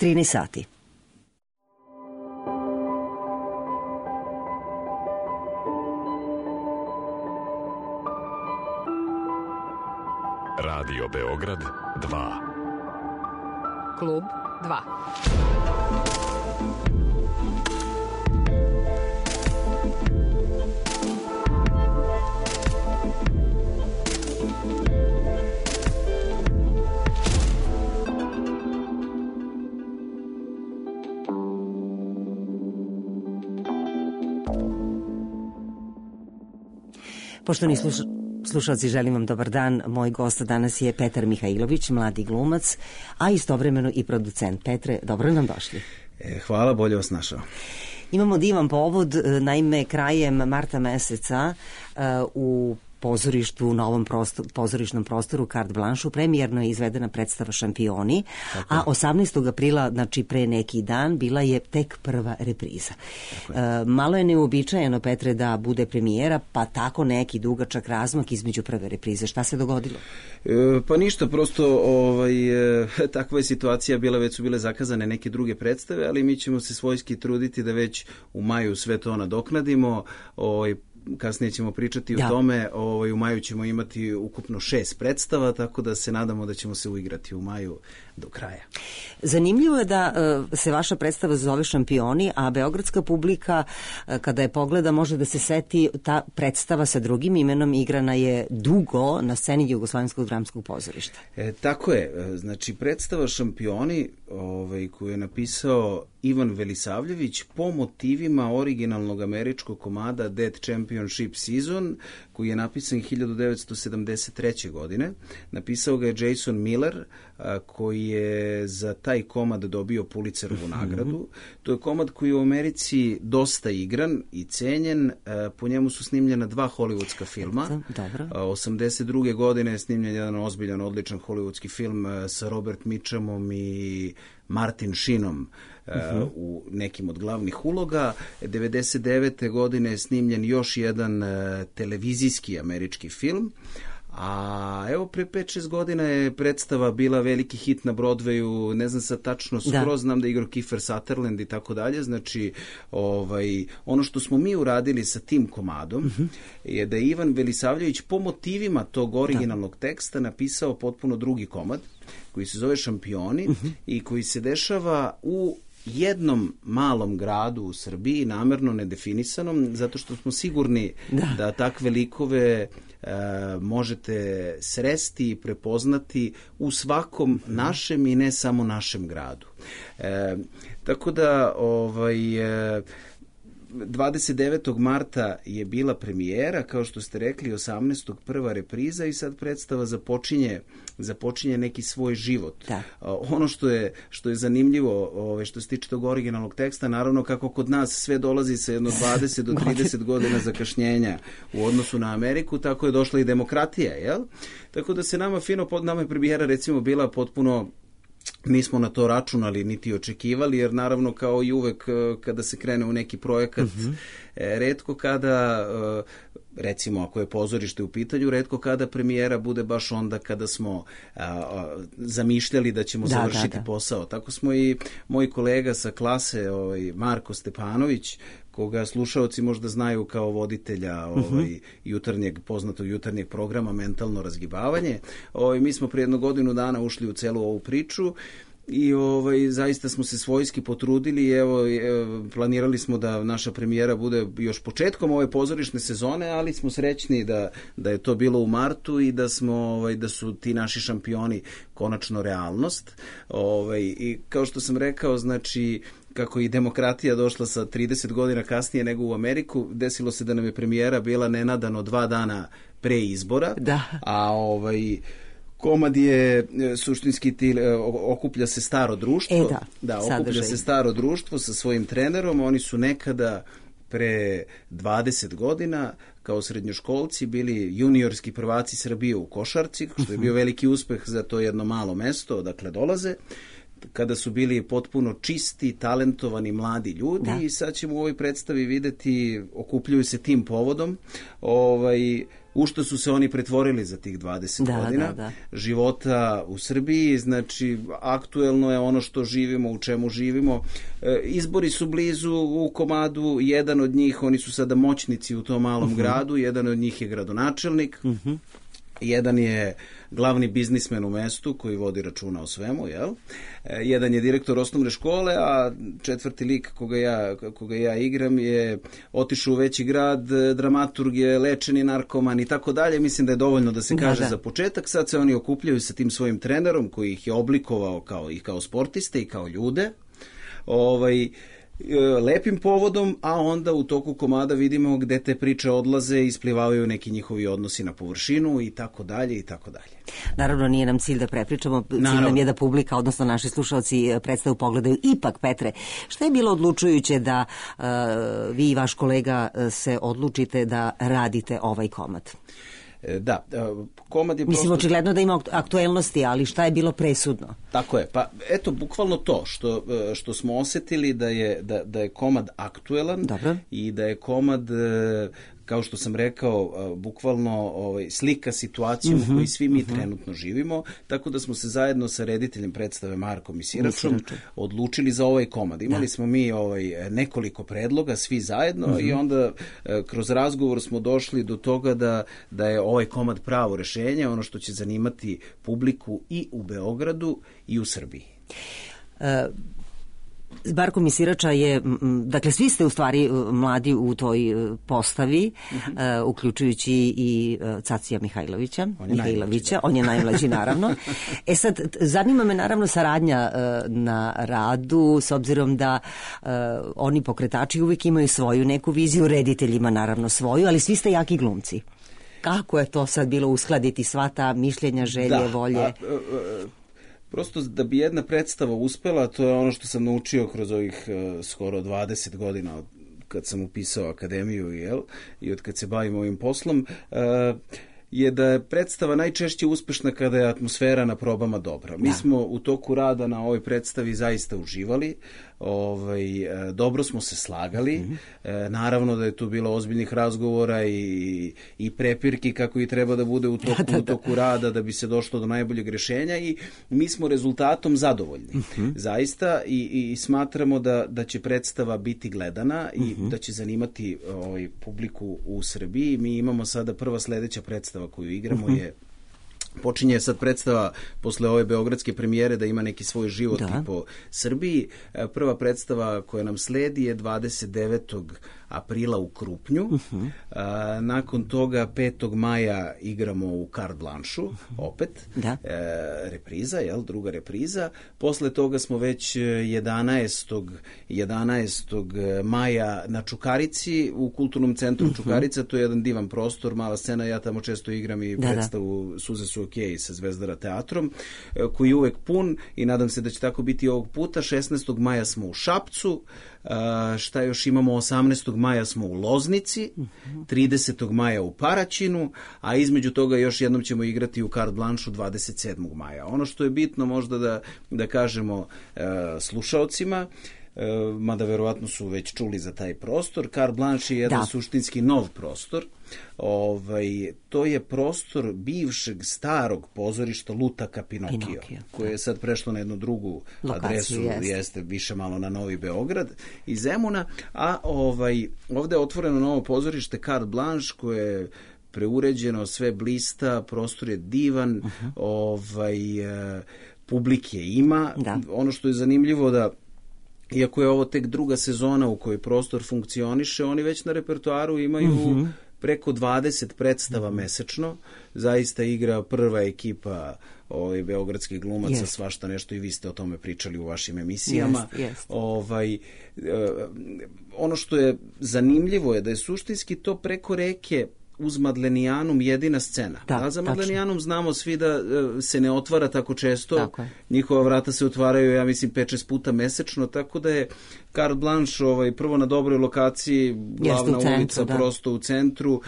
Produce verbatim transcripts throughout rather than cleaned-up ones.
trinaest sati. Radio Beograd dva. Klub dva. Poštovani sluš... slušalci, želim vam dobar dan. Moj gost danas je Petar Mihajlović, mladi glumac, a istovremeno i producent. Petre, dobro nam došli. E, hvala, bolje vas našao. Imamo divan povod, naime krajem marta meseca uh, u pozorištu, u novom prostor, pozorišnom prostoru Carte Blanche premijerno je izvedena predstava Šampioni, tako a osamnaestog aprila, znači pre neki dan, bila je tek prva repriza. E, malo je neuobičajeno, Petre, da bude premijera, pa tako neki dugačak razmak između prve reprize. Šta se dogodilo? E, pa ništa, prosto ovaj, e, takva je situacija bila, već su bile zakazane neke druge predstave, ali mi ćemo se svojski truditi da već u maju sve to nadoknadimo. Ovaj, kasnije ćemo pričati da. o tome. Ovaj, u maju ćemo imati ukupno šest predstava, tako da se nadamo da ćemo se uigrati u maju do kraja. Zanimljivo je da uh, se vaša predstava zove Šampioni, a beogradska publika uh, kada je pogleda može da se seti ta predstava sa drugim imenom igrana je dugo na sceni Jugoslovenskog dramskog pozorišta. E, tako je. Znači, predstava Šampioni ovaj, koju je napisao Ivan Velisavljević po motivima originalnog američkog komada Dead Championship Season, koji je napisan hiljadu devetsto sedamdeset treće. godine. Napisao ga je Jason Miller, a, koji je za taj komad dobio Pulitzerovu nagradu. To je komad koji je u Americi dosta igran i cenjen. A, po njemu su snimljena dva hollywoodska filma. Dobro. A, osamdeset druge. godine je snimljen jedan ozbiljan, odličan hollywoodski film a, sa Robert Mitchumom i Martin Sheenom uh, uh-huh. u nekim od glavnih uloga. devedeset devete. godine je snimljen još jedan uh, televizijski američki film, a evo pre pet šest godina je predstava bila veliki hit na Broadwayu, ne znam sad tačno skroz, da. znam da je igrao Kiefer Sutherland i tako dalje. Znači, ovaj, ono što smo mi uradili sa tim komadom uh-huh. je da je Ivan Velisavljević po motivima tog originalnog da. teksta napisao potpuno drugi komad koji se zove Šampioni uh-huh. i koji se dešava u jednom malom gradu u Srbiji, namerno nedefinisanom, zato što smo sigurni da, da takve likove e, možete sresti i prepoznati u svakom našem i ne samo našem gradu. E, tako da ovaj... E, dvadeset devetog marta je bila premijera, kao što ste rekli, osamnaestog prva repriza i sad predstava započinje, započinje neki svoj život. Da. Ono što je, što je zanimljivo, ove, što se tiče tog originalnog teksta, naravno kako kod nas sve dolazi sa jedno dvadeset do trideset godina zakašnjenja u odnosu na Ameriku, tako je došla i demokratija, jel? Tako da se nama fino, pod nama je premijera recimo bila potpuno, nismo na to računali niti očekivali, jer naravno kao i uvek kada se krene u neki projekat, uh-huh. retko kada, recimo ako je pozorište u pitanju, retko kada premijera bude baš onda kada smo a, a, zamišljali da ćemo da, završiti da, da. posao. Tako smo i moj kolega sa klase, ovaj, Marko Stepanović, koga slušaoci možda znaju kao voditelja ovaj, uh-huh. jutarnjeg, poznatog jutarnjeg programa Mentalno razgibavanje. Ovaj, mi smo prije jednu godinu dana ušli u celu ovu priču i ovaj, zaista smo se svojski potrudili i evo, evo, planirali smo da naša premijera bude još početkom ove pozorišne sezone, ali smo srećni da, da je to bilo u martu i da smo ovaj, da su ti naši šampioni konačno realnost. Ovaj, i kao što sam rekao, znači kako i demokratija došla sa trideset godina kasnije nego u Ameriku, desilo se da nam je premijera bila nenadano dva dana pre izbora, da. a ovaj komad je suštinski ti, okuplja se staro društvo, e, da, da okuplja sadržaj. se staro društvo sa svojim trenerom. Oni su nekada pre dvadeset godina kao srednjoškolci bili juniorski prvaci Srbije u košarci, što je bio veliki uspeh za to jedno malo mesto odakle dolaze, kada su bili potpuno čisti, talentovani mladi ljudi, da. I sad ćemo u ovoj predstavi videti, okupljuju se tim povodom, ovaj, u što su se oni pretvorili za tih dvadeset da, godina da, da. života u Srbiji. Znači, aktuelno je ono što živimo, u čemu živimo. E, izbori su blizu u komadu, jedan od njih, oni su sada moćnici u tom malom uh-huh. gradu, jedan od njih je gradonačelnik, uh-huh. jedan je glavni biznismen u mestu koji vodi računa o svemu, jel? E, jedan je direktor osnovne škole, a četvrti lik koga ja, koga ja igram je otišao u veći grad, dramaturg je lečeni narkoman i tako dalje. Mislim da je dovoljno da se kaže da, da. za početak. Sad se oni okupljaju sa tim svojim trenerom koji ih je oblikovao kao, i kao sportiste i kao ljude. Ovaj... lepim povodom, a onda u toku komada vidimo gde te priče odlaze i isplivavaju neki njihovi odnosi na površinu i tako dalje i tako dalje. Naravno, nije nam cilj da prepričamo, cilj Naravno. nam je da publika, odnosno naši slušalci predstavu pogledaju. Ipak, Petre, šta je bilo odlučujuće da uh, vi i vaš kolega se odlučite da radite ovaj komad? Da, komad je prosto... Mislim, očigledno da ima aktuelnosti, ali šta je bilo presudno? Tako je, pa eto, bukvalno to, što, što smo osetili da je, da, da je komad aktuelan. Dobro. I da je komad, kao što sam rekao, bukvalno ovaj, slika situaciju uh-huh, u kojoj svi mi uh-huh. trenutno živimo, tako da smo se zajedno sa rediteljem predstave Markom i Siračom odlučili za ovaj komad. Imali da. smo mi ovaj, nekoliko predloga, svi zajedno uh-huh. i onda kroz razgovor smo došli do toga da, da je ovaj komad pravo rešenje, ono što će zanimati publiku i u Beogradu i u Srbiji. Uh, Marko Misirača je, dakle svi ste u stvari mladi u toj postavi, uh-huh. uh, uključujući i uh, Cacija Mihajlovića, on Mihajlovića, on je najmlađi naravno. E sad, zanima me naravno saradnja uh, na radu, s obzirom da uh, oni pokretači uvijek imaju svoju neku viziju, rediteljima naravno svoju, ali svi ste jaki glumci. Kako je to sad bilo uskladiti sva ta mišljenja, želje, da, volje? A, a, a, prosto da bi jedna predstava uspela, to je ono što sam naučio kroz ovih uh, skoro dvadeset godina od kad sam upisao akademiju, jel, i od kad se bavim ovim poslom, uh, je da je predstava najčešće uspešna kada je atmosfera na probama dobra. Mi da. smo u toku rada na ovoj predstavi zaista uživali, ovaj, dobro smo se slagali, mm-hmm. e, naravno da je tu bilo ozbiljnih razgovora i, i prepirki kako i treba da bude u toku, da, da, da. u toku rada da bi se došlo do najboljeg rešenja i mi smo rezultatom zadovoljni. Mm-hmm. Zaista i, i smatramo da, da će predstava biti gledana i mm-hmm. da će zanimati ovaj, publiku u Srbiji. Mi imamo sada prva sledeća predstava koju igramo mm-hmm. je počinje sad predstava posle ove beogradske premijere da ima neki svoj život da. i po Srbiji. Prva predstava koja nam sledi je dvadeset devetog aprila u Krupnju. Uh-huh. A, nakon toga petog maja igramo u Carte Blanche-u, uh-huh. opet. Da. E, repriza, jel? Druga repriza. Posle toga smo već jedanaestog maja na Čukarici, u Kulturnom centru uh-huh. Čukarica. To je jedan divan prostor, mala scena. Ja tamo često igram i da, predstavu da. Suze su okej sa Zvezdara teatrom, koji je uvek pun i nadam se da će tako biti ovog puta. šesnaestog maja smo u Šapcu. Uh, šta još imamo, osamnaestog maja smo u Loznici, tridesetog maja u Paraćinu, a između toga još jednom ćemo igrati u Carte Blanche-u dvadeset sedmog maja. Ono što je bitno možda da, da kažemo uh, slušaocima, uh, mada verovatno su već čuli za taj prostor, Carte Blanche je jedan da. suštinski nov prostor. Ovaj, to je prostor bivšeg starog pozorišta Lutaka Pinokio, Pinokio koje je sad prešlo na jednu drugu lokaciju, adresu, jeste. jeste više malo na Novi Beograd i Zemuna, a ovaj, ovde je otvoreno novo pozorište Carte Blanche koje je preuređeno, sve blista, prostor je divan, uh-huh. ovaj, publike ima. Da. Ono što je zanimljivo da iako je ovo tek druga sezona u kojoj prostor funkcioniše, oni već na repertoaru imaju uh-huh. preko dvadeset predstava mm-hmm. mesečno. Zaista igra prva ekipa ovaj, beogradskih glumaca, yes. svašta nešto i vi ste o tome pričali u vašim emisijama. Yes, yes. Ovaj, eh, ono što je zanimljivo je da je suštinski to preko reke uz Madlenijanum jedina scena. Da, da za Madlenijanum znamo svi da uh, se ne otvara tako često. Tako njihova vrata se otvaraju, ja mislim, pet šest puta mesečno, tako da je Carte Blanche ovaj, prvo na dobroj lokaciji, glavna centru, ulica, da. prosto u centru uh,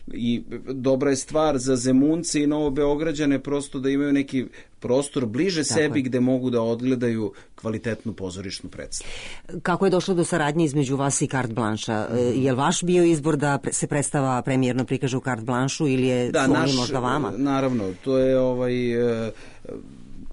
i dobra je stvar za Zemunce i Novobeograđane prosto da imaju neki prostor bliže Tako sebi je. gde mogu da odgledaju kvalitetnu pozorišnu predstavu. Kako je došlo do saradnje između vas i Carte Blanche-a? Je li vaš bio izbor da se predstava premijerno prikaže u Carte Blanche-u ili je Da, su oni naš, možda vama? naravno, to je ovaj... e,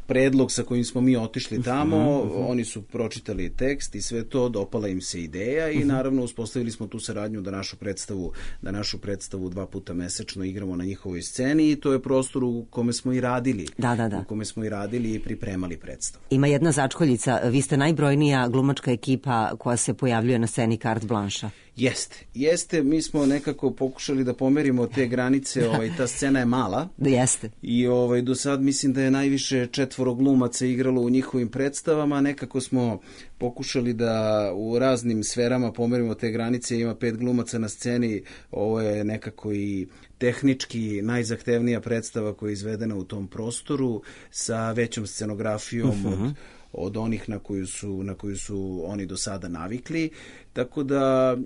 predlog sa kojim smo mi otišli tamo, uh-huh, uh-huh. Oni su pročitali tekst i sve to, dopala im se ideja i uh-huh. naravno uspostavili smo tu saradnju da našu predstavu, da našu predstavu dva puta mesečno igramo na njihovoj sceni i to je prostor u kome smo i radili. Da, da, da. U kome smo i radili i pripremali predstavu. Ima jedna začkoljica, vi ste najbrojnija glumačka ekipa koja se pojavljuje na sceni Carte Blanche-a. Jeste, jeste, mi smo nekako pokušali da pomerimo te granice, ovaj, ta scena je mala. Jeste. I ovaj, do sad mislim da je najviše četvoro glumaca igralo u njihovim predstavama, nekako smo pokušali da u raznim sferama pomerimo te granice, ima pet glumaca na sceni, ovo je nekako i tehnički najzahtevnija predstava koja je izvedena u tom prostoru sa većom scenografijom uh-huh. od od onih na koju su na koju su oni do sada navikli, tako da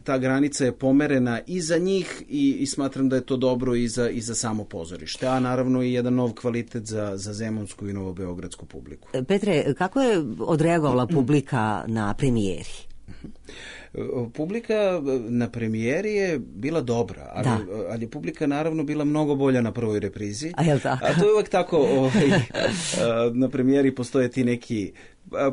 ta granica je pomerena i za njih i, i smatram da je to dobro i za, i za samo pozorište, a naravno i jedan nov kvalitet za, za zemunsku i novobeogradsku publiku. Petre, kako je odreagovala publika na premijeri? Publika na premijeri je bila dobra, ali, ali je publika naravno bila mnogo bolja na prvoj reprizi. A, je li tako? A to je uvek tako, ovaj, na premijeri postoje ti neki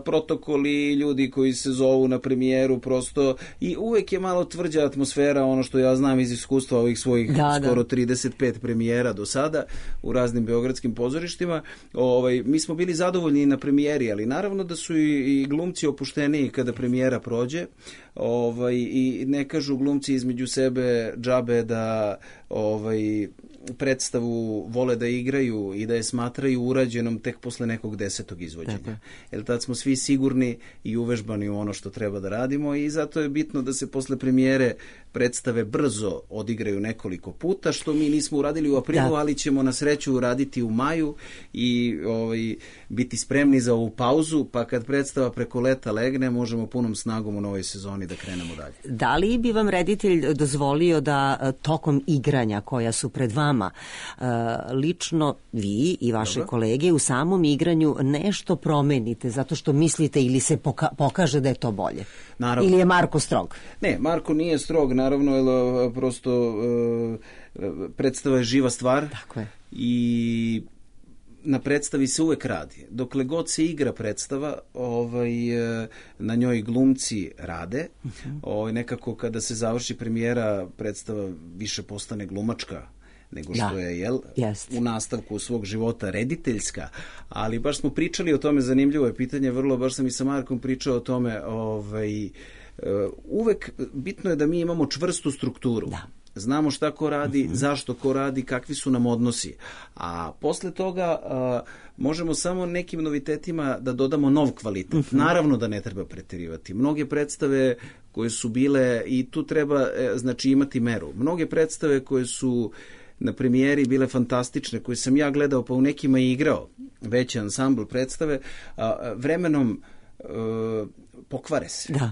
protokoli, ljudi koji se zovu na premijeru prosto i uvek je malo tvrđa atmosfera, ono što ja znam iz iskustva ovih svojih da, skoro da. trideset pet premijera do sada u raznim beogradskim pozorištima. Ovaj, mi smo bili zadovoljni na premijeri, ali naravno da su i, i glumci opušteniji kada premijera prođe. Ovaj, i ne kažu glumci između sebe džabe da ovaj, predstavu vole da igraju i da je smatraju urađenom tek posle nekog desetog izvođenja. Jer tad smo svi sigurni i uvežbani u ono što treba da radimo i zato je bitno da se posle premijere predstave brzo odigraju nekoliko puta, što mi nismo uradili u aprilu, da. Ali ćemo na sreću uraditi u maju i ovaj, biti spremni za ovu pauzu, pa kad predstava preko leta legne, možemo punom snagom u novoj sezoni da krenemo dalje. Da li bi vam reditelj dozvolio da tokom igranja koja su pred vama, lično vi i vaše Dobro. kolege u samom igranju nešto promenite zato što mislite ili se poka- pokaže da je to bolje? Naravno. Ili je Marko strog? Ne, Marko nije strog, naravno, jer prosto uh, predstava je živa stvar. Tako je. I na predstavi se uvek radi. Dokle god se igra predstava, ovaj, na njoj glumci rade. Uh-huh. Ovaj, nekako kada se završi premijera, predstava više postane glumačka nego što da. je jel, Jest. u nastavku svog života rediteljska, ali baš smo pričali o tome, zanimljivo je pitanje, vrlo, baš sam i sa Markom pričao o tome, ovaj, uvek bitno je da mi imamo čvrstu strukturu. Da. Znamo šta ko radi, uh-huh. zašto ko radi, kakvi su nam odnosi. A posle toga a, možemo samo nekim novitetima da dodamo nov kvalitet. Uh-huh. Naravno da ne treba preterivati. Mnoge predstave koje su bile, i tu treba e, znači imati meru, mnoge predstave koje su na premijeri bile fantastične, koje sam ja gledao, pa u nekima i igrao, veći ansambl predstave, a, vremenom a, pokvare se. Da.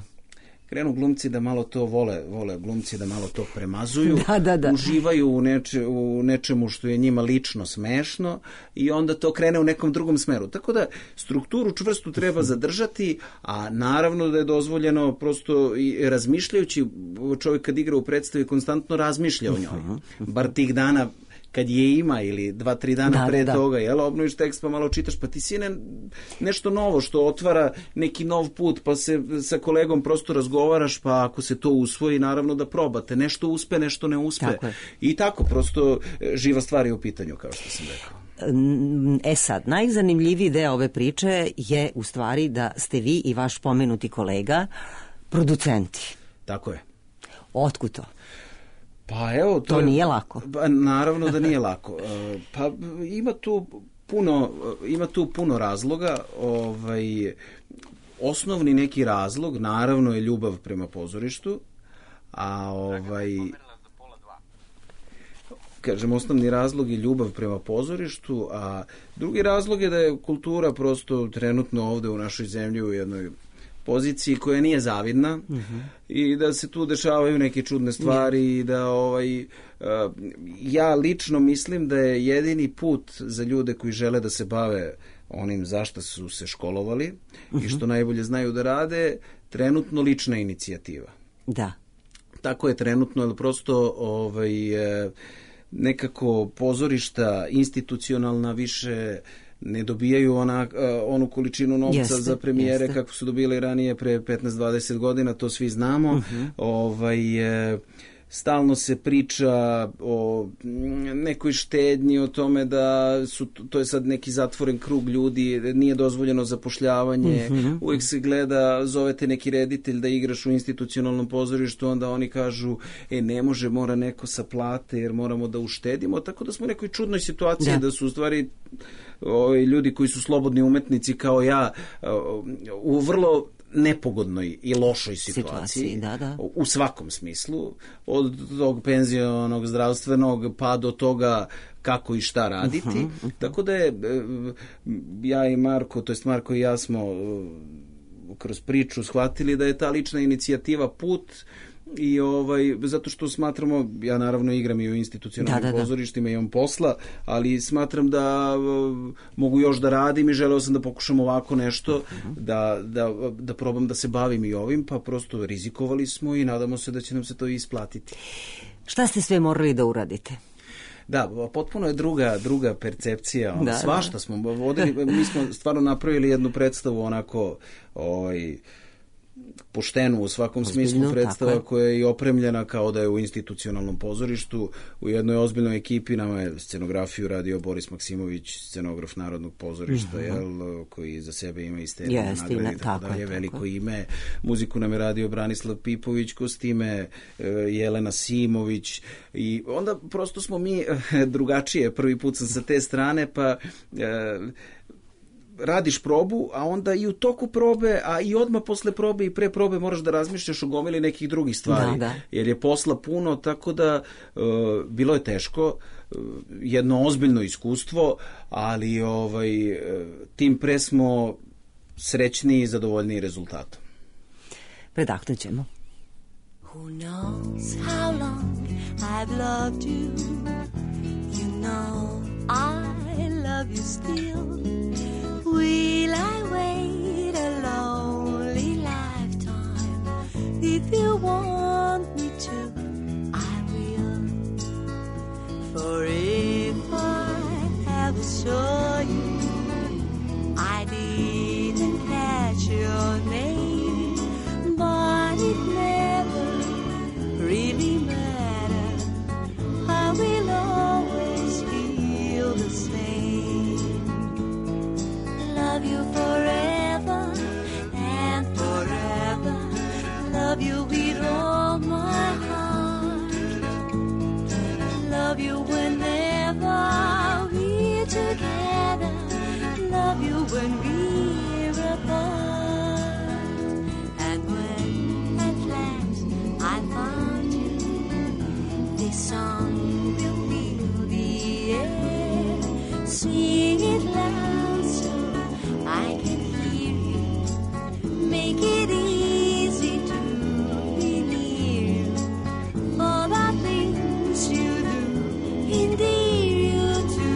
Krenu glumci da malo to vole, vole glumci da malo to premazuju, da, da, da. uživaju u, neče, u nečemu što je njima lično smešno i onda to krene u nekom drugom smeru. Tako da strukturu čvrstu treba zadržati, a naravno da je dozvoljeno prosto i razmišljajući, čovjek kad igra u predstavi konstantno razmišlja o njoj. Bar tih dana kad je ima ili dva, tri dana da, pre da. toga, jel, obnoviš tekst pa malo čitaš, pa ti si ne, nešto novo što otvara neki nov put, pa se sa kolegom prosto razgovaraš, pa ako se to usvoji, naravno da probate. Nešto uspe, nešto ne uspe. Tako I tako, prosto živa stvar je u pitanju, kao što sam rekao. E sad, najzanimljiviji deo ove priče je u stvari da ste vi i vaš pomenuti kolega producenti. Tako je. Otkud to? Pa evo, to, to nije lako. Pa, naravno da nije lako. Pa ima tu puno, ima tu puno razloga. Ovaj, osnovni neki razlog, naravno, je ljubav prema pozorištu, a ovaj... Kažem, osnovni razlog je ljubav prema pozorištu, a drugi razlog je da je kultura prosto trenutno ovde u našoj zemlji u jednoj poziciji koja nije zavidna uh-huh. i da se tu dešavaju neke čudne stvari yeah. i da ovaj, uh, ja lično mislim da je jedini put za ljude koji žele da se bave onim zašto su se školovali uh-huh. i što najbolje znaju da rade, trenutno lična inicijativa. Da. Tako je trenutno, ali prosto ovaj, nekako pozorišta institucionalna više ne dobijaju ona, onu količinu novca jeste, za premijere jeste. Kako su dobile ranije pre petnaest dvadeset godina, to svi znamo. Uh-huh. Ovaj, stalno se priča o nekoj štednji, o tome da su, to je sad neki zatvoren krug ljudi, nije dozvoljeno zapošljavanje, uh-huh. uvijek se gleda, zovete neki reditelj da igraš u institucionalnom pozorištu, onda oni kažu, e, ne može, mora neko sa plate, jer moramo da uštedimo, tako da smo u nekoj čudnoj situaciji, da, da su u stvari ovi ljudi koji su slobodni umetnici kao ja u vrlo nepogodnoj i lošoj situaciji, situaciji da, da. U svakom smislu, od tog penzionog, zdravstvenog pa do toga kako i šta raditi. Uh-huh, uh-huh. Tako da je ja i Marko, to jest Marko i ja smo kroz priču shvatili da je ta lična inicijativa put i ovaj, zato što smatramo, ja naravno igram i u institucionalnim da, da, pozorištima, da. Imam posla, ali smatram da uh, mogu još da radim i želeo sam da pokušam ovako nešto, uh-huh. da, da, da probam da se bavim i ovim, pa prosto rizikovali smo i nadamo se da će nam se to isplatiti. Šta ste sve morali da uradite? Da, potpuno je druga, druga percepcija. Da, svašta da. smo vodili, mi smo stvarno napravili jednu predstavu onako ovaj, poštenu u svakom ozbiljno, smislu, predstava koja je i opremljena kao da je u institucionalnom pozorištu, u jednoj ozbiljnoj ekipi. Nama je scenografiju radio Boris Maksimović, scenograf Narodnog pozorišta, mm-hmm. jel, koji za sebe ima iste yes, nagrade, tako dalje, veliko ime. Muziku nam je radio Branislav Pipović, kostime Jelena Simović, i onda prosto smo mi drugačije, prvi put sam sa te strane, pa radiš probu, a onda i u toku probe, a i odmah posle probe i pre probe moraš da razmišljaš o gomili nekih drugih stvari, da, da. Jer je posla puno, tako da uh, bilo je teško, uh, jedno ozbiljno iskustvo, ali ovaj, uh, tim pre smo srećni i zadovoljni rezultatom. Predahnut ćemo. Who knows how long I've loved you? You know I love you still. Will I wait a lonely lifetime? If you want me to, I will. For if I ever saw you, I didn't catch your name, but it never really mattered. I will always feel the same. Love you forever and forever. Love you with all my heart. Love you whenever we're together. Love you when we're apart. And when at last I found you, this song will fill the air. Sing it loud so I can hear you. Make it easy to be near you. For the things you do endear you to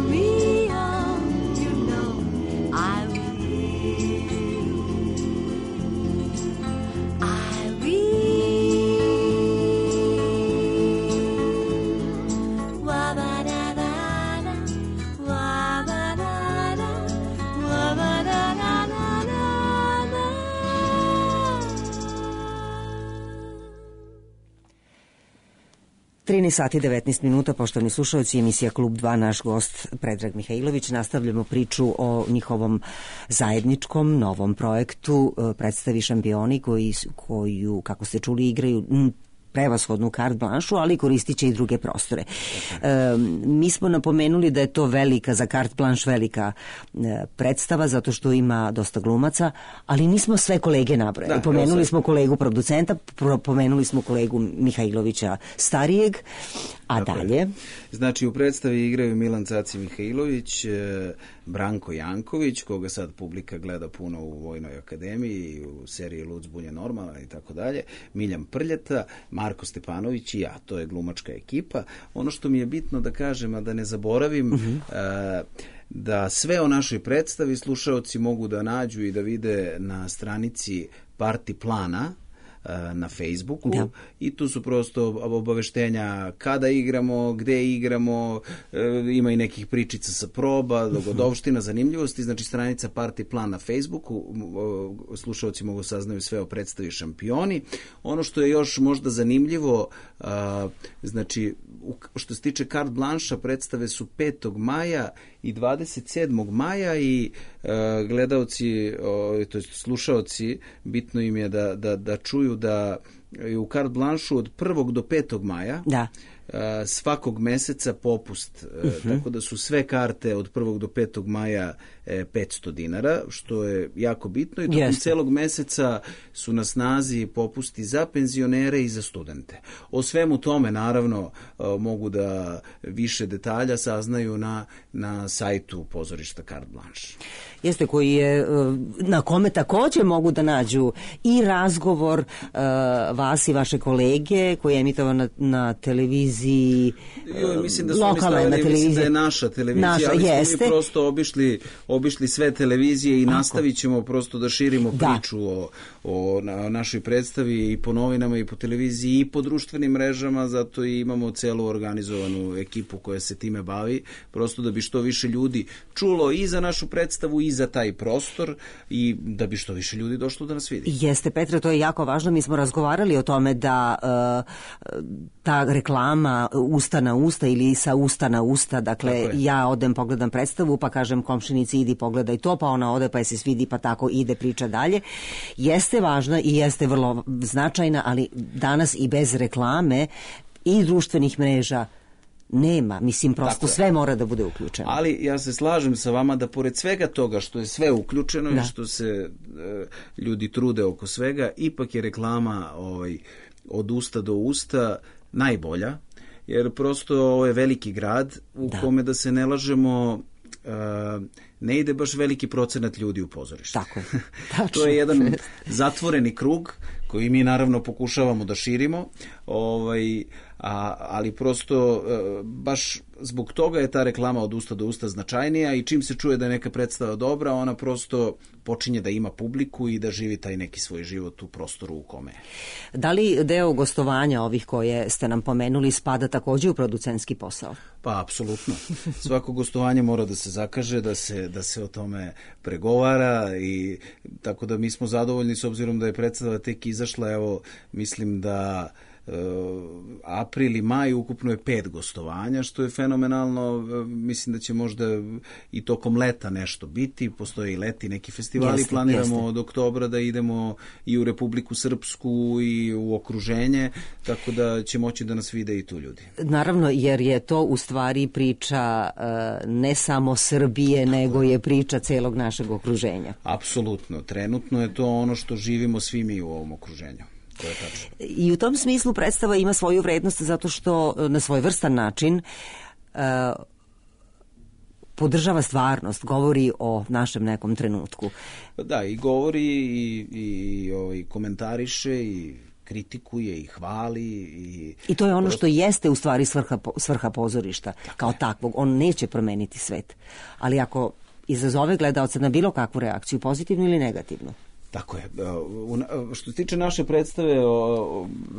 me. Oh, you know I will. I will. Wa ba da da da, wa ba da da, wa ba da da da da da. trinaest sati i devetnaest minuta, poštovani slušalci, emisija Klub dva, naš gost Predrag Mihajlović. Nastavljamo priču o njihovom zajedničkom novom projektu, predstavi Šampioni, koji, koju, kako ste čuli, igraju prevashodnu carte blanche, ali koristit će i druge prostore. E, mi smo napomenuli da je to velika, za carte blanche velika e, predstava, zato što ima dosta glumaca, ali nismo sve kolege nabrojali. Da, pomenuli smo kolegu producenta, pomenuli smo kolegu Mihajlovića starijeg, a tako dalje. Je. Znači, u predstavi igraju Milan Caci Mihajlović, Branko Janković, koga sad publika gleda puno u Vojnoj akademiji, u seriji Lud zbunje normalna i tako dalje, Miljan Prljeta, Marko Stepanović i ja, to je glumačka ekipa. Ono što mi je bitno da kažem, a da ne zaboravim, uh-huh. uh, da sve o našoj predstavi slušaoci mogu da nađu i da vide na stranici Parti plana na Facebooku, da. I tu su prosto obaveštenja kada igramo, gde igramo, ima i nekih pričica sa proba, dogodovština, zanimljivosti, znači stranica Parti plan na Facebooku, slušalci mogu saznaju sve o predstavi Šampioni. Ono što je još možda zanimljivo, znači što se tiče carte blanche, predstave su petog maja i dvadeset sedmog maja i gledaoci, to jest slušaoci, bitno im je da, da, da čuju da je u carte blanche od prvog do petog maja da. svakog meseca popust, uh-huh. tako da su sve karte od prvog do petog maja petsto dinara, što je jako bitno i tokom yes. celog meseca su na snazi popusti za penzionere i za studente. O svemu tome naravno mogu da više detalja saznaju na, na sajtu pozorišta Carte Blanche. Jeste, koji je, na kome takođe mogu da nađu i razgovor uh, vas i vaše kolege koji je emitovan na, na televiziji, jo, mislim da su lokalne stavili, na televiziji. Mislim da je naša televizija, naša, ali jeste. Smo mi prosto obišli, obišli sve televizije i Ako? nastavit ćemo prosto da širimo da. priču o, o na, našoj predstavi i po novinama i po televiziji i po društvenim mrežama, zato i imamo celu organizovanu ekipu koja se time bavi, prosto da bi što više ljudi čulo i za našu predstavu i za taj prostor i da bi što više ljudi došlo da nas vidi. Jeste, Petre, to je jako važno. Mi smo razgovarali o tome da uh, ta reklama usta na usta ili sa usta na usta, dakle ja odem pogledam predstavu pa kažem komšinici idi pogledaj to, pa ona ode pa je se svidi pa tako ide priča dalje. Jeste važna i jeste vrlo značajna, ali danas i bez reklame i društvenih mreža nema, mislim, prosto sve mora da bude uključeno. Ali ja se slažem sa vama da pored svega toga što je sve uključeno da. i što se e, ljudi trude oko svega, ipak je reklama ovaj, od usta do usta najbolja, jer prosto ovo je veliki grad u da. kome, da se ne lažemo, e, ne ide baš veliki procenat ljudi u pozorište. Tako je. To je jedan zatvoreni krug koji mi naravno pokušavamo da širimo, ovaj, a, ali prosto e, baš zbog toga je ta reklama od usta do usta značajnija i čim se čuje da je neka predstava dobra, ona prosto počinje da ima publiku i da živi taj neki svoj život u prostoru u kome. Da li deo gostovanja ovih koje ste nam pomenuli spada takođe u producentski posao? Pa, apsolutno. Svako gostovanje mora da se zakaže, da se, da se o tome pregovara i tako da mi smo zadovoljni s obzirom da je predstava tek izašla, evo, mislim da Uh, april i maj ukupno je pet gostovanja, što je fenomenalno. Uh, mislim da će možda i tokom leta nešto biti, postoje i leti neki festivali, jeste, planiramo jeste. od oktobra da idemo i u Republiku Srpsku i u okruženje, tako da će moći da nas vide i tu ljudi. Naravno, jer je to u stvari priča uh, ne samo Srbije, tako nego je priča celog našeg okruženja. Apsolutno, trenutno je to ono što živimo svi mi u ovom okruženju. I u tom smislu predstava ima svoju vrednost zato što na svoj vrstan način uh, podržava stvarnost, govori o našem nekom trenutku. Da, i govori i, i, i komentariše i kritikuje i hvali. I, I to je ono prosto što jeste u stvari svrha, svrha pozorišta tako kao je. takvog. On neće promeniti svet. Ali ako izazove gledaoca na bilo kakvu reakciju, pozitivnu ili negativnu, tako je. Što se tiče naše predstave,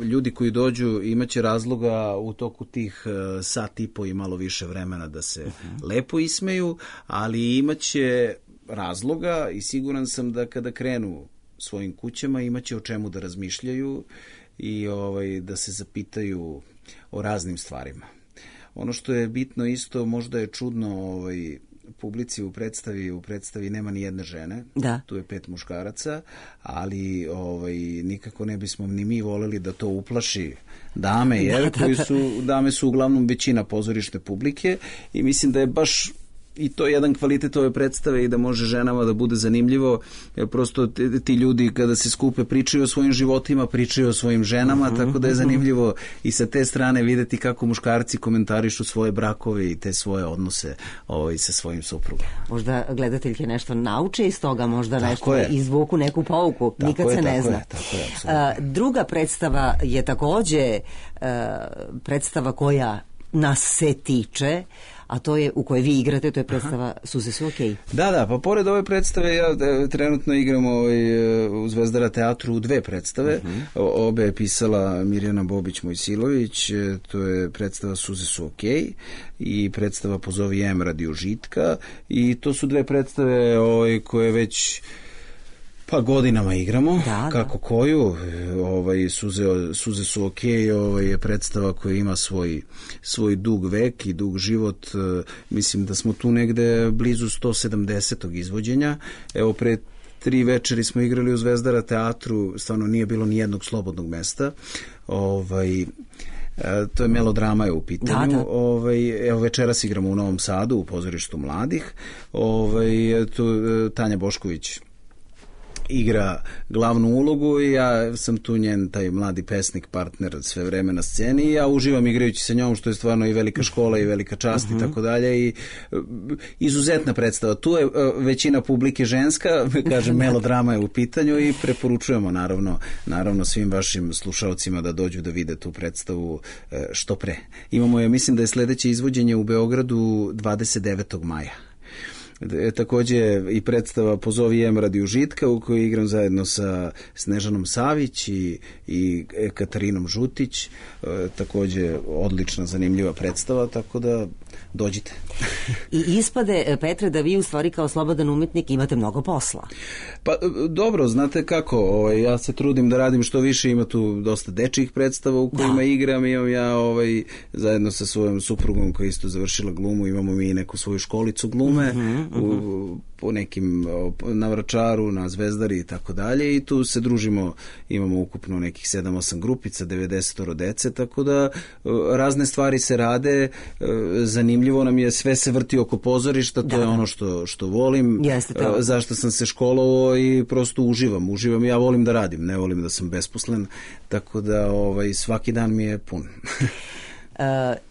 ljudi koji dođu imaće razloga u toku tih sat i po i malo više vremena da se uh-huh. lepo ismeju, ali imaće razloga i siguran sam da kada krenu svojim kućama imaće o čemu da razmišljaju i ovaj, da se zapitaju o raznim stvarima. Ono što je bitno isto, možda je čudno ovaj, publici u predstavi, u predstavi nema ni jedne žene, da. tu je pet muškaraca, ali ovaj, nikako ne bismo ni mi voleli da to uplaši dame, jer da, da, koji su, dame su uglavnom većina pozorišne publike i mislim da je baš i to je jedan kvalitet ove predstave i da može ženama da bude zanimljivo, jer prosto ti, ti ljudi kada se skupe pričaju o svojim životima, pričaju o svojim ženama, uh-huh, tako da je zanimljivo i sa te strane videti kako muškarci komentarišu svoje brakove i te svoje odnose ovaj, sa svojim suprugom. Možda gledateljke nešto nauče iz toga, možda tako nešto je. Izvuku neku pouku, tako nikad je, se ne tako zna. Je, tako je, apsolutno. Uh, druga predstava je takođe uh, predstava koja nas se tiče, a to je u kojoj vi igrate, to je predstava Aha. Suze su okej. Da, da, pa pored ove predstave ja e, trenutno igram ovaj, u Zvezdara teatru dve predstave. Uh-huh. O, obe je pisala Mirjana Bobić-Mojsilović, e, to je predstava Suze su okej i predstava Pozovi Jem radi užitka i to su dve predstave ovaj, koje već pa godinama igramo, da, kako da. koju, ovaj, suze, suze su okej, ovaj, je predstava koja ima svoj, svoj dug vek i dug život, mislim da smo tu negde blizu sto sedamdesetog izvođenja, evo pre tri večeri smo igrali u Zvezdara teatru, stvarno nije bilo ni jednog slobodnog mesta, ovaj, to je melodrama je u pitanju. Da, da. Ovaj, evo večeras igramo u Novom Sadu u pozorištu mladih, ovaj, tu Tanja Bošković igra glavnu ulogu i ja sam tu njen taj mladi pesnik, partner sve vreme na sceni i ja uživam igrajući sa njom, što je stvarno i velika škola i velika čast uh-huh. i tako dalje i izuzetna predstava. Tu je većina publike ženska, kažem, melodrama je u pitanju i preporučujemo naravno, naravno svim vašim slušaocima da dođu da vide tu predstavu što pre. Imamo je, mislim da je sledeće izvođenje u Beogradu dvadeset devetog maja. E, takođe i predstava Pozovi Jem radi užitka u kojoj igram zajedno sa Snežanom Savić i, i Katarinom Žutić, e, takođe odlična, zanimljiva predstava, tako da dođite. I ispade, Petre, da vi u stvari kao slobodan umetnik imate mnogo posla. Pa dobro, znate kako, ovaj, ja se trudim da radim što više, ima tu dosta dečjih predstava u kojima da. igram, imam ja ovaj, zajedno sa svojom suprugom koja isto završila glumu, imamo mi neku svoju školicu glume, mm-hmm. U, po nekim na Vračaru, na Zvezdari i tako dalje i tu se družimo, imamo ukupno nekih sedam osam grupica, devedeset dece, tako da razne stvari se rade, zanimljivo nam je, sve se vrti oko pozorišta, to da, je ono što, što volim, jeste to. Zašto sam se školovao i prosto uživam, uživam, ja volim da radim, ne volim da sam besposlen, tako da ovaj, svaki dan mi je pun. Uh,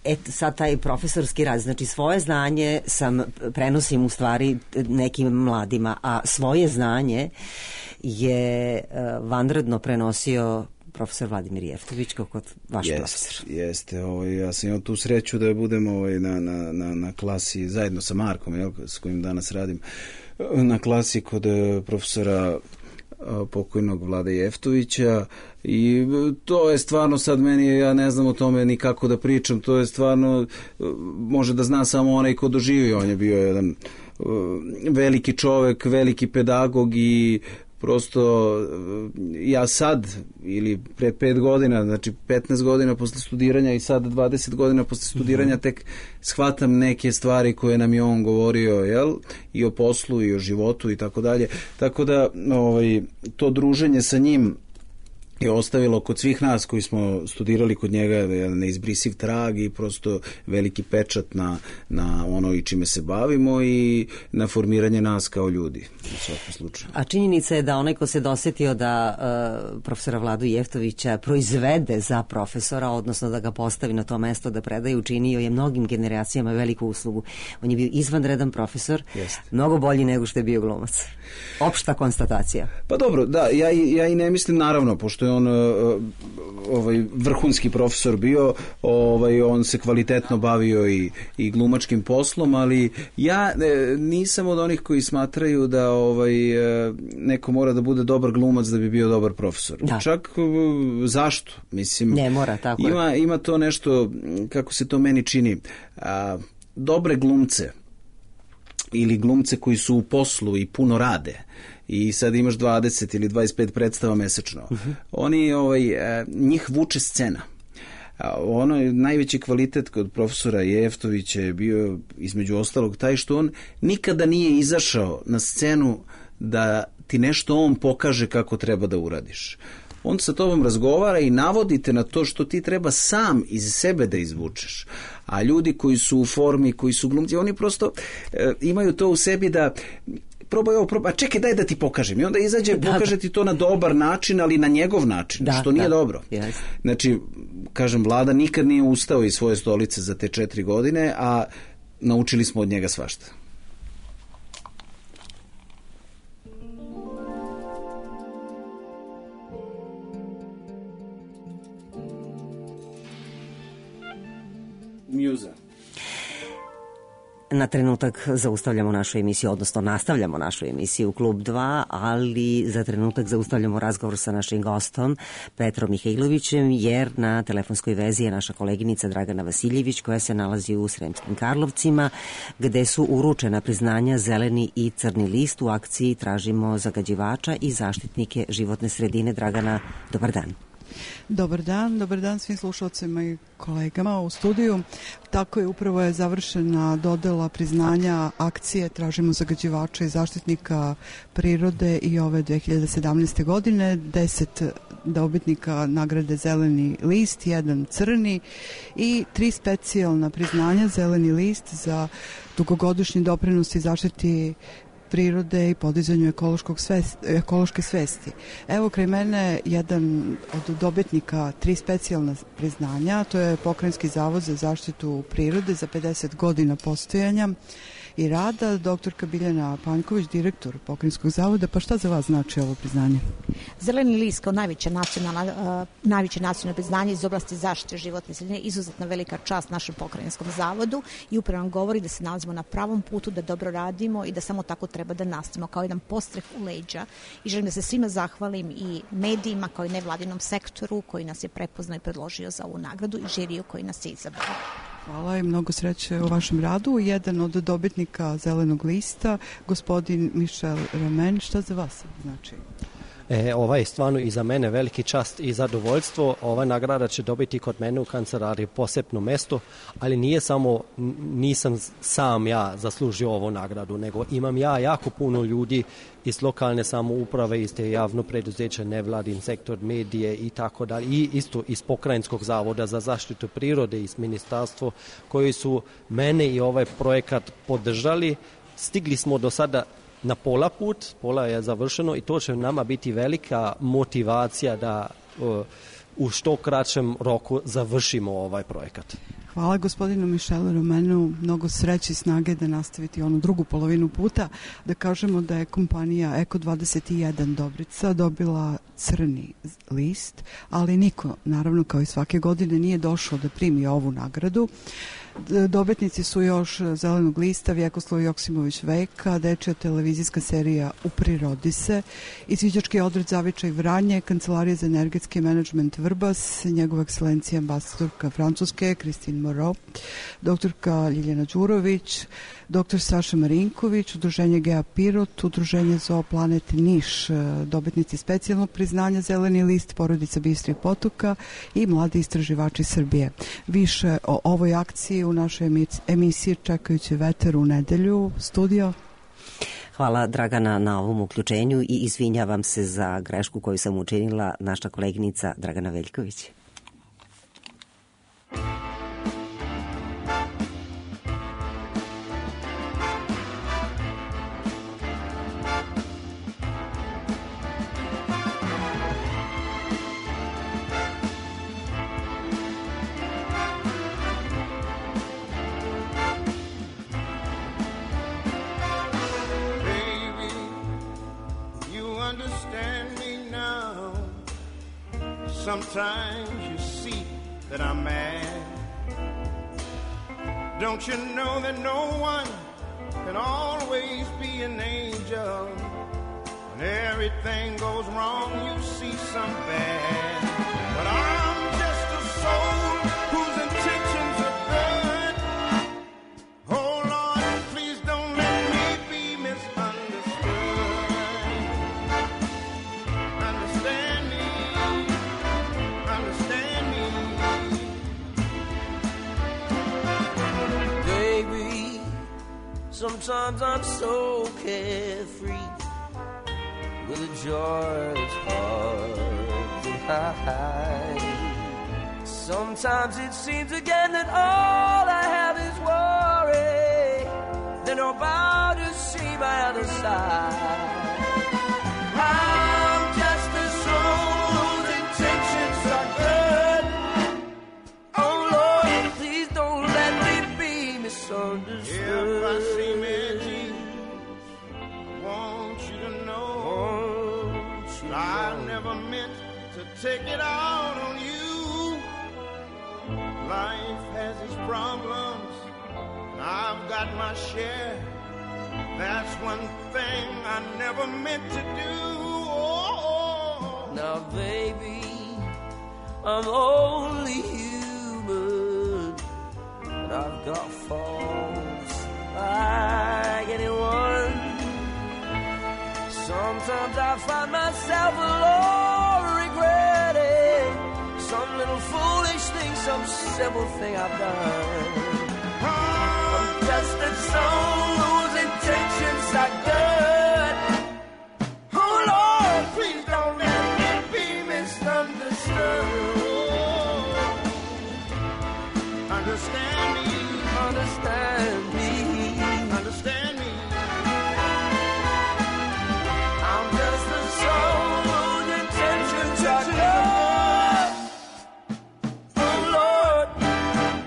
et, sad taj profesorski rad, znači svoje znanje sam prenosim u stvari nekim mladima, a svoje znanje je uh, vanredno prenosio profesor Vladimir Jeftović kao kod vaš jest, profesor. Jeste, ovaj, ja sam imao tu sreću da budem ovaj, na, na, na, na klasi zajedno sa Markom, jel, s kojim danas radim, na klasi kod profesora pokojnog Vlade Jeftovića i to je stvarno sad meni, ja ne znam o tome ni kako da pričam, to je stvarno, može da zna samo onaj ko doživio, on je bio jedan veliki čovek, veliki pedagog i prosto ja sad ili pre pet godina, znači petnaest godina posle studiranja i sad dvadeset godina posle studiranja tek shvatam neke stvari koje nam je on govorio, jel? I o poslu i o životu i tako dalje. Tako da ovaj, to druženje sa njim je ostavilo kod svih nas koji smo studirali kod njega neizbrisiv trag i prosto veliki pečat na, na ono i čime se bavimo i na formiranje nas kao ljudi u svakom slučaju. A činjenica je da onaj ko se dosetio da uh, profesora Vladu Jeftovića proizvede za profesora, odnosno da ga postavi na to mesto da predaje, učinio je mnogim generacijama veliku uslugu. On je bio izvanredan profesor, Jest. mnogo bolji nego što je bio glumac. Opšta konstatacija. Pa dobro, da, ja, ja i ne mislim naravno, pošto je on ovaj vrhunski profesor bio, ovaj on se kvalitetno bavio i i glumačkim poslom, ali ja nisam od onih koji smatraju da ovaj neko mora da bude dobar glumac da bi bio dobar profesor. Da. Čak zašto? Mislim, ne mora, tako ima je. Ima to nešto, kako se to meni čini, a, dobre glumce ili glumce koji su u poslu i puno rade i sad imaš dvadeset ili dvadeset pet predstava mesečno. Uh-huh. Oni, ovaj, njih vuče scena. Ono je najveći kvalitet kod profesora Jeftovića je bio između ostalog taj što on nikada nije izašao na scenu da ti nešto on pokaže kako treba da uradiš. on sa tobom razgovara i navodite na to što ti treba sam iz sebe da izvučeš. A ljudi koji su u formi, koji su glumci, oni prosto e, imaju to u sebi da probaj ovo, probaj, a čekaj, daj da ti pokažem. I onda izađe, da, pokaže ti to na dobar način, ali na njegov način, da, što nije da, dobro. Yes. Znači, kažem, Vlada nikad nije ustao iz svoje stolice za te četiri godine, a naučili smo od njega svašta. Muza. Na trenutak zaustavljamo našu emisiju, odnosno nastavljamo našu emisiju Klub dva, ali za trenutak zaustavljamo razgovor sa našim gostom Petrom Mihajlovićem, jer na telefonskoj vezi je naša koleginica Dragana Vasiljević, koja se nalazi u Sremskim Karlovcima, gde su uručena priznanja Zeleni i Crni list u akciji Tražimo zagađivača i zaštitnike životne sredine. Dragana, dobar dan. Dobar dan, dobar dan svim slušalcima i kolegama u studiju. Tako je, upravo je završena dodela priznanja akcije Tražimo zagađivača i zaštitnika prirode i ove dve hiljade sedamnaeste. godine. Deset dobitnika nagrade Zeleni list, jedan crni i tri specijalna priznanja Zeleni list za dugogodišnji doprinos i zaštiti prirode i podizanju ekološkog svesti, ekološke svesti. Evo kraj mene jedan od dobitnika tri specijalna priznanja, to je Pokrajinski zavod za zaštitu prirode za pedeset godina postojanja i rada, doktorka Biljana Panjković, direktor Pokrajinskog zavoda. Pa šta za vas znači ovo priznanje? Zeleni list kao najveće nacionalno, uh, najveće nacionalno priznanje iz oblasti zaštite životne sredine, izuzetna velika čast našem Pokrajinskom zavodu i upravo nam govori da se nalazimo na pravom putu, da dobro radimo i da samo tako treba da nastavimo, kao jedan postreh u leđa. I želim da se svima zahvalim i medijima, kao i nevladinom sektoru koji nas je prepoznao i predložio za ovu nagradu i žiriju koji nas je izabrao. Hvala i mnogo sreće u vašem radu. Jedan od dobitnika Zelenog lista, gospodin Mišel Romen, šta za vas znači? E, ova je stvarno i za mene veliki čast i zadovoljstvo. Ova nagrada će dobiti kod mene u kancelariji posebno mesto, ali nije samo, nisam sam ja zaslužio ovu nagradu, nego imam ja jako puno ljudi iz lokalne samouprave, iz te javno preduzeća, nevladin sektor, medije i tako dalje, i isto iz Pokrajinskog zavoda za zaštitu prirode, iz ministarstva, koji su mene i ovaj projekat podržali. Stigli smo do sada na pola put, pola je završeno i to će nama biti velika motivacija da uh, u što kraćem roku završimo ovaj projekat. Hvala gospodinu Mišelu Romenu, mnogo sreće i snage da nastaviti onu drugu polovinu puta. Da kažemo da je kompanija Eko dvadeset jedan Dobrica dobila crni list, ali niko, naravno kao i svake godine, nije došao da primi ovu nagradu. Dobitnici su još Zelenog lista Vjekoslav Joksimović Veka, dečja televizijska serija U prirodi se, izviđački odred Zavičaj Vranje, Kancelarija za energetski menadžment Vrbas, njegova ekscelencija ambasadorka Francuske Kristin Moreau, doktorka Ljiljana Đurović, doktor Saša Marinković, udruženje Gea Pirot, udruženje Zooplanet Niš, dobitnici specijalnog priznanja Zeleni list, porodica Bistrih potoka i mladi istraživači Srbije. Više o ovoj akciji u našoj emisiji Čekajući vetar u nedelju. Studio. Hvala Dragana na ovom uključenju i izvinjavam se za grešku koju sam učinila, naša koleginica Dragana Veljković. Sometimes you see that I'm mad. Don't you know that no one can always be an angel? When everything goes wrong, you see some bad. But I'm just a soul whose intentions are good. Oh Lord, please don't let me be misunderstood. Understand me. Understand me. Baby, sometimes I'm so carefree with a joy that's hard to hide. Sometimes it seems again that all I have is worry. Then I'm about to see my other side. I'm just a soul whose intentions are good. Oh Lord, please don't let me be misunderstood. If I seem edgy, I want you to know I never meant to take it out on you. Life has its problems, and I've got my share. That's one thing I never meant to do. Oh. Now, baby, I'm only human, and I've got faults like anyone. Sometimes I find myself alone regretting some little foolish thing, some simple thing I've done. I'm just a soul whose intentions are good. Oh Lord, please don't let me be misunderstood. Understand me, understand me, understand me. I'm just a soul whose intentions are good. Oh Lord,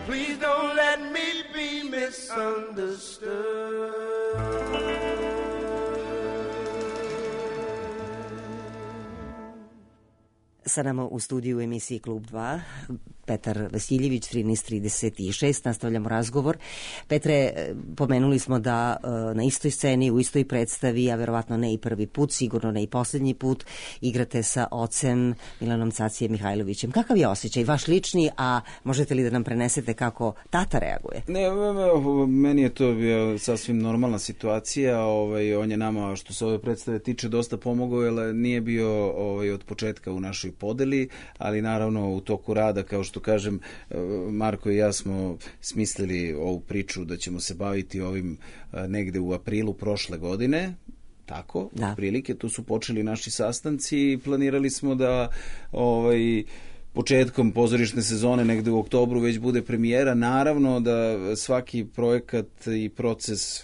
please don't let me be misunderstood. Sa nama u studiju u emisiji Klub dva, Petar Vasiljević, trinaest trideset šest, nastavljamo razgovor. Petre, pomenuli smo da na istoj sceni, u istoj predstavi, a verovatno ne i prvi put, sigurno ne i poslednji put, igrate sa ocem Milanom Cacijem Mihajlovićem. Kakav je osjećaj, vaš lični, a možete li da nam prenesete kako tata reaguje? Ne, meni je to bio sasvim normalna situacija. Ovaj, on je nama, što se ove predstave tiče, dosta pomogao, jer nije bio ovaj, od početka u našoj podeli, ali naravno u toku rada, kao što kažem, Marko i ja smo smislili ovu priču da ćemo se baviti ovim negde u aprilu prošle godine, tako, da. Otprilike, tu su počeli naši sastanci i planirali smo da ovaj, početkom pozorišne sezone, negde u oktobru, već bude premijera. Naravno da svaki projekat i proces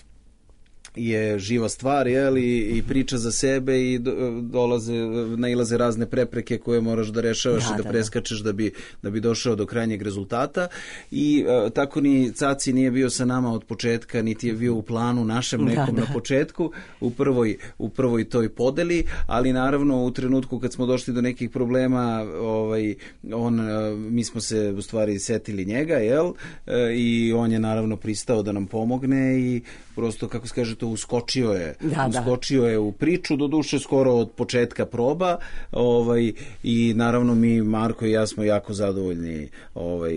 je živa stvar, jel, i, i priča za sebe i do, dolaze, nailaze razne prepreke koje moraš da rešavaš da, i da, da preskačeš da bi, da bi došao do krajnjeg rezultata i a, tako ni Caci nije bio sa nama od početka, niti je bio u planu našem nekom da, da. na početku, u prvoj, u prvoj toj podeli, ali naravno u trenutku kad smo došli do nekih problema, ovaj, on, mi smo se u stvari setili njega, jel, i on je naravno pristao da nam pomogne i prosto, kako se kaže, to uskočio je, da, uskočio da. je u priču, do duše skoro od početka proba, ovaj, i naravno mi, Marko i ja, smo jako zadovoljni ovaj,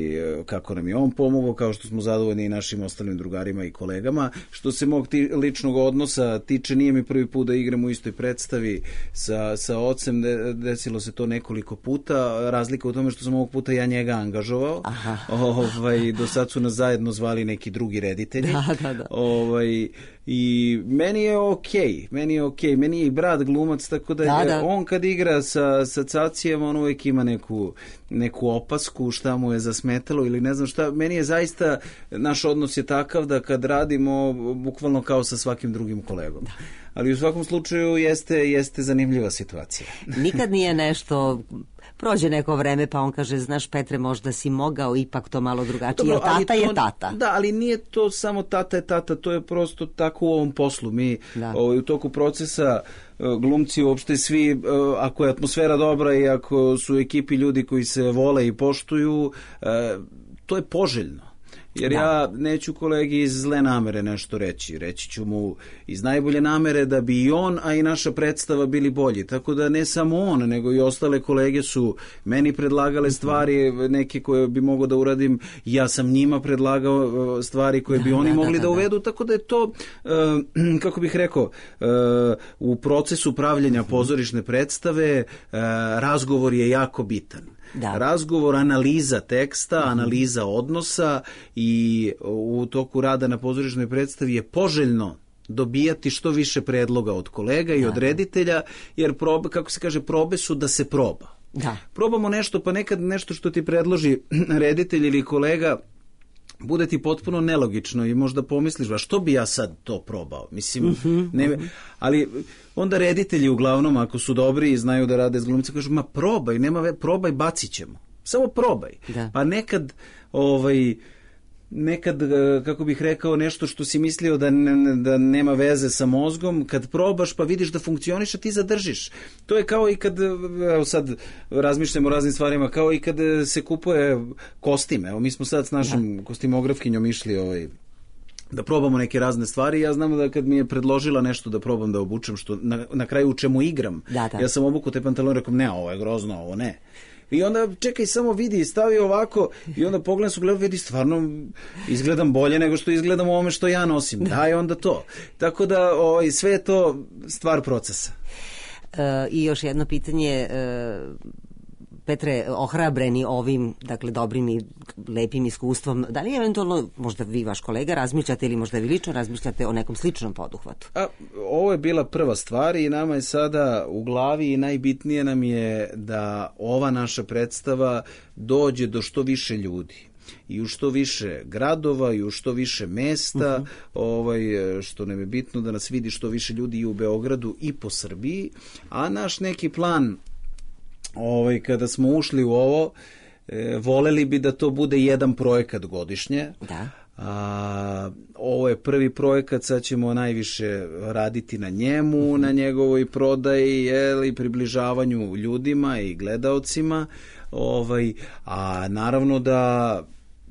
kako nam je on pomogao, kao što smo zadovoljni i našim ostalim drugarima i kolegama. Što se mog ti, ličnog odnosa tiče, nije mi prvi put da igram u istoj predstavi sa, sa ocem, de, desilo se to nekoliko puta, razlika u tome što sam ovog puta ja njega angažovao. Ovaj, do sad su nas zajedno zvali neki drugi reditelji. Da, da, da. Ovaj, i meni je okej, okay, meni je okej, okay. Meni je i brat glumac, tako da, da, da. on kad igra sa, sa Cacijem, on uvijek ima neku, neku opasku, šta mu je zasmetalo ili ne znam šta. Meni je zaista, naš odnos je takav da kad radimo, bukvalno kao sa svakim drugim kolegom. Da. Ali u svakom slučaju jeste, jeste zanimljiva situacija. Nikad nije nešto... Prođe neko vreme pa on kaže, znaš Petre, možda si mogao ipak to malo drugačije, jer tata to, je tata. Da, ali nije to samo tata je tata, to je prosto tako u ovom poslu. Mi ovaj, u toku procesa glumci uopšte svi, ako je atmosfera dobra i ako su u ekipi ljudi koji se vole i poštuju, to je poželjno. Jer da. ja neću kolegi iz zle namere nešto reći. Reći ću mu iz najbolje namere da bi i on, a i naša predstava bili bolji. Tako da ne samo on, nego i ostale kolege su meni predlagale stvari, neke koje bi mogao da uradim. Ja sam njima predlagao stvari koje bi da, oni da, mogli da, da, da uvedu. Tako da je to, uh, kako bih rekao, uh, u procesu pravljenja pozorišne predstave uh, razgovor je jako bitan. Da. Razgovor, analiza teksta, mm-hmm. analiza odnosa i u toku rada na pozorišnoj predstavi je poželjno dobijati što više predloga od kolega i da. od reditelja, jer probe, kako se kaže, probe su da se proba. Da. Probamo nešto, pa nekad nešto što ti predloži reditelj ili kolega bude ti potpuno nelogično i možda pomisliš, a što bi ja sad to probao? Mislim, uh-huh, ne, uh-huh. ali onda reditelji uglavnom, ako su dobri i znaju da rade s glumcima, kažu, ma probaj, nema ve, probaj, bacit ćemo. Samo probaj. Da. Pa nekad, ovaj, nekad, kako bih rekao, nešto što si mislio da, ne, da nema veze sa mozgom, kad probaš pa vidiš da funkcioniš, a ti zadržiš. To je kao i kad, evo sad razmišljamo o raznim stvarima, kao i kad se kupuje kostim. Evo, mi smo sad s našom da. kostimografkinjom išli ovaj, da probamo neke razne stvari. Ja znam da kad mi je predložila nešto da probam da obučem, što na, na kraju u čemu igram, da, da. ja sam obukao te pantalone, rekao, ne, ovo je grozno, ovo ne. I onda čekaj, samo vidi, stavi ovako i onda pogledam su gledam, vidi, stvarno izgledam bolje nego što izgledam u ovome što ja nosim. Daj onda to. Tako da ovaj, sve je to stvar procesa. E, I još jedno pitanje, e, Petre, ohrabreni ovim, dakle, dobrim i lepim iskustvom, da li eventualno, možda vi, vaš kolega, razmišljate ili možda vi lično razmišljate o nekom sličnom poduhvatu? A, ovo je bila prva stvar i nama je sada u glavi i najbitnije nam je da ova naša predstava dođe do što više ljudi i u što više gradova i u što više mesta, uh-huh. ovaj, što nam je bitno da nas vidi što više ljudi i u Beogradu i po Srbiji, a naš neki plan Ovaj, kada smo ušli u ovo, e, voleli bi da to bude jedan projekat godišnje. Da. A, ovo je prvi projekat, sad ćemo najviše raditi na njemu, uh-huh. na njegovoj prodaji, jel, i približavanju ljudima i gledaocima. Ovaj, a naravno da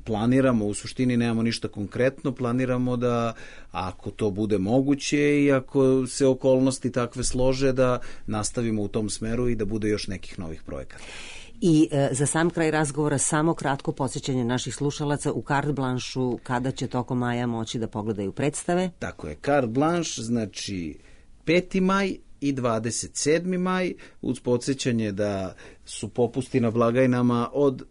planiramo, u suštini nemamo ništa konkretno, planiramo da ako to bude moguće i ako se okolnosti takve slože da nastavimo u tom smeru i da bude još nekih novih projekata. I e, za sam kraj razgovora samo kratko podsjećanje naših slušalaca u Carte Blanche-u kada će tokom maja moći da pogledaju predstave. Tako je, Carte Blanche, znači peti maj i dvadeset sedmi maj, uz podsjećanje da su popusti na blagajnama od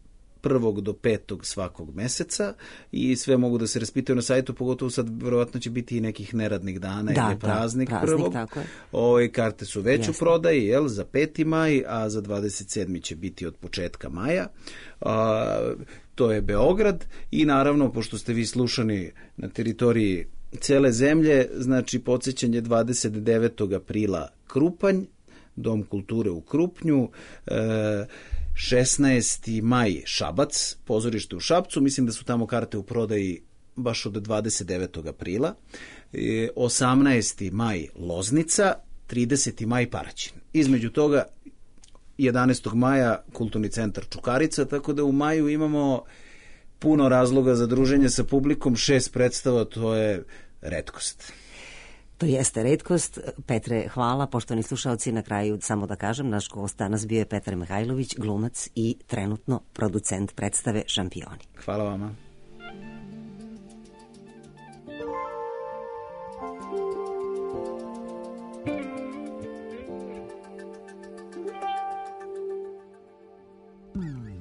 prvog do petog svakog meseca i sve mogu da se raspitaju na sajtu, pogotovo sad verovatno će biti i nekih neradnih dana, da, jer je praznik, da, praznik prvog. Ove karte su već u prodaji, jel, za peti maj, a za dvadeset sedmi će biti od početka maja. A, to je Beograd i naravno, pošto ste vi slušani na teritoriji cele zemlje, znači podsjećanje dvadeset devetog aprila Krupanj, Dom kulture u Krupnju, e, šesnaesti maj Šabac, pozorište u Šapcu, mislim da su tamo karte u prodaji baš od dvadeset devetog aprila, osamnaesti maj Loznica, trideseti maj Paraćin. Između toga jedanaestog maja Kulturni centar Čukarica, tako da u maju imamo puno razloga za druženje sa publikom, šest predstava, to je retkost. To jeste retkost. Petre, hvala. Poštovani slušalci, na kraju samo da kažem, naš gost danas bio je Petar Mihajlović, glumac i trenutno producent predstave Šampioni. Hvala vama. Mm.